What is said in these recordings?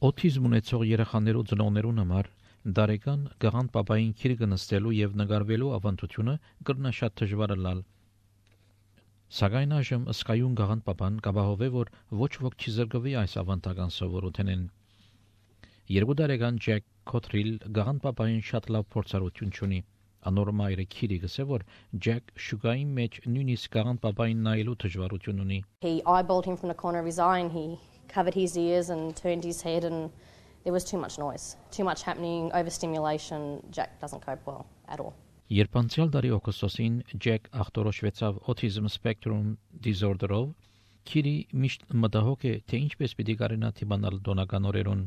Օթիզմ ունեցող երեխաներու ծնողներուն համար դարեկան գաղան պապային քիրը նստելու եւ նկարվելու ավանդությունը կրնա շատ դժվար լալ։ Սակայն այժմ ըսկայուն գաղան պապան կապահովե, որ ոչ ոք չի զրկվի այս ավանդական սովորութենեն։ 2 տարեկան Ջեք Քոթրիլ գաղան պապային շատ լավ փորձառություն ունի։ Անոր մայրը քիրի գսե, որ Ջեք շուգայի մեջ նույնիսկ գաղան պապային նայելու դժվարություն ունի։ He eyeballed him from the corner of his eye and he covered his ears and turned his head and there was too much noise, too much happening, overstimulation. Jack doesn't cope well at all. Երբ անցյալ տարի օգոստոսին Ջեք ախտորոշվեցավ autism spectrum disorder-ով, քիրի միշտ մտահոգ է, թե ինչպես պիտի կարենա թիմանալ դոնական օրերուն։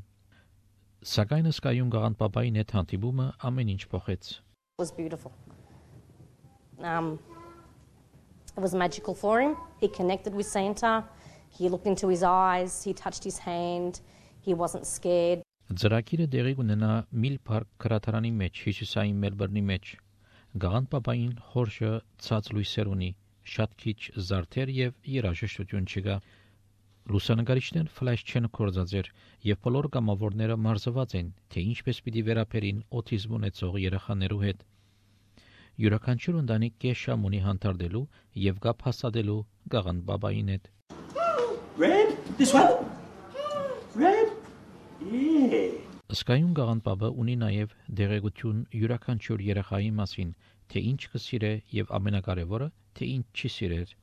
Սակայն ըսկայուն գաղան պապային հետ հանդիպումը ամեն ինչ փոխեց։ It was beautiful. It was magical for him. He connected with Santa. He looked into his eyes. He touched his hand. He wasn't scared. Ծրագիրը դեղի կունենա Միլ Փարք քրատարանի մեջ, Հյուսիսային Մելբուրնի մեջ։ Գաղան պապային խորշը ցած լույսեր ունի, շատ քիչ զարդեր եւ երաժշտություն չկա։ Լուսանկարիչներ ֆլաշ չեն կորզածեր եւ բոլոր կամավորները մարզված են, թե ինչպես պիտի վերապերին օթիզմ ունեցող երեխաներու հետ։ Յուրաքանչյուր ընտանիք կեշամ ունի հանդարտելու եւ կապ հաստատելու գաղան պապային հետ։ Red? This one? Red? Yeah. Ըսկայուն գաղան պապը ունի նաև դեղեցություն յուրաքանչյուր երեխայի մասին, թե ինչ կսիրե եւ ամենակարևորը, թե ինչ չի սիրեր։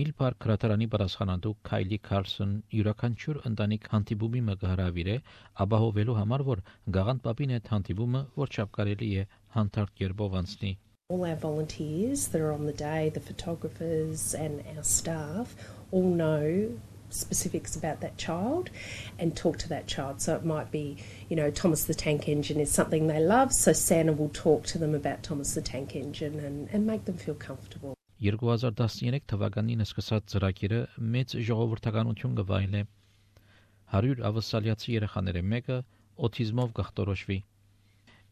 Միլ Փարք քրատարանի պատասխանատու Քայլի Քարսոն յուրաքանչյուր ընտանիք հանդիպումի մը կհրավիրե, ապահովելու համար, որ գաղան պապին հետ հանդիպումը որչափ կարելի է հանդարտ կերպով անցնի։ All our volunteers that are on the day, the photographers and our staff all know specifics about that child and talk to that child. So it might be, Thomas the Tank Engine is something they love, so Santa will talk to them about Thomas the Tank Engine and make them feel comfortable. 2013 թվականին սկսած ծրագիրը մեծ ժողովրդականություն կվայելե։ 100 ավասալիացի երեխաների մեկը օթիզմով կախտորոշվի։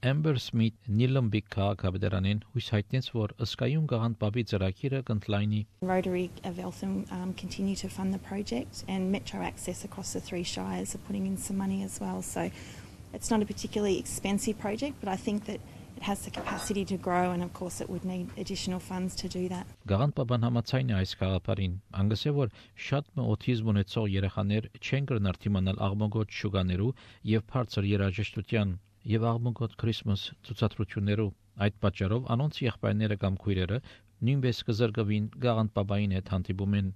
Amber Smith Nillumbik քաղաքապետարանին հույս հայտնեց, որ ըսկայուն գաղան պապի ծրագիրը կընդլայնի։ Rotary of Eltham continue to fund the project and Metro Access across the 3 shires are putting in some money as well. So it's not a particularly expensive project, but I think that it has the capacity to grow and of course it would need additional funds to do that. Գաղան պապան համաձայն է այս գաղափարին, անգսե որ շատ օթիզմ ունեցող երեխաներ չեն կրնար թիմանալ աղմուկոտ շուգաներու եւ բարձր երաժշտության եւ աղմուկոտ Քրիսմաս ցուցադրություններով։ Այդ պատճառով անոնց եղբայրները կամ քույրերը նույնպես կզրկվին գաղան պապային հետ հանդիպումեն։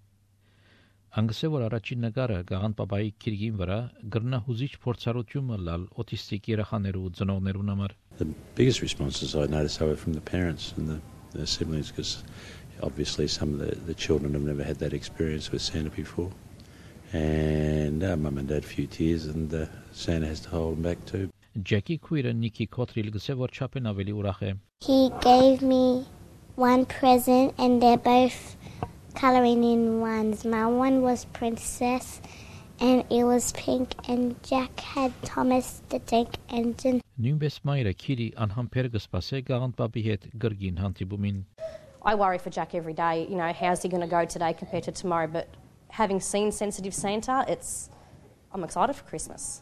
Անգսե որ առաջին նկարը գաղան պապայի քիրգին վրա գրնա հուզիչ փորձառություն լալ օտիստիկ երեխաներու ծնողներուն համար։ The biggest responses I noticed were from the parents and the siblings, because obviously some of the children have never had that experience with Santa before. And mum and dad a few tears and Santa has to hold them back too. Ջեկի քույրը Նիկի Քոթրիլ գսե որ չափեն ավելի ուրախ է։ He gave me one present and they're both coloring in ones. My one was Princess and it was pink and Jack had Thomas the Tank Engine. Նույնպես մայրը քիրի անհամբեր կսպասե գաղան պապի հետ գրգին հանդիպումին։ I worry for Jack every day, how's he going to go today compared to tomorrow, but having seen Sensitive Santa, I'm excited for Christmas.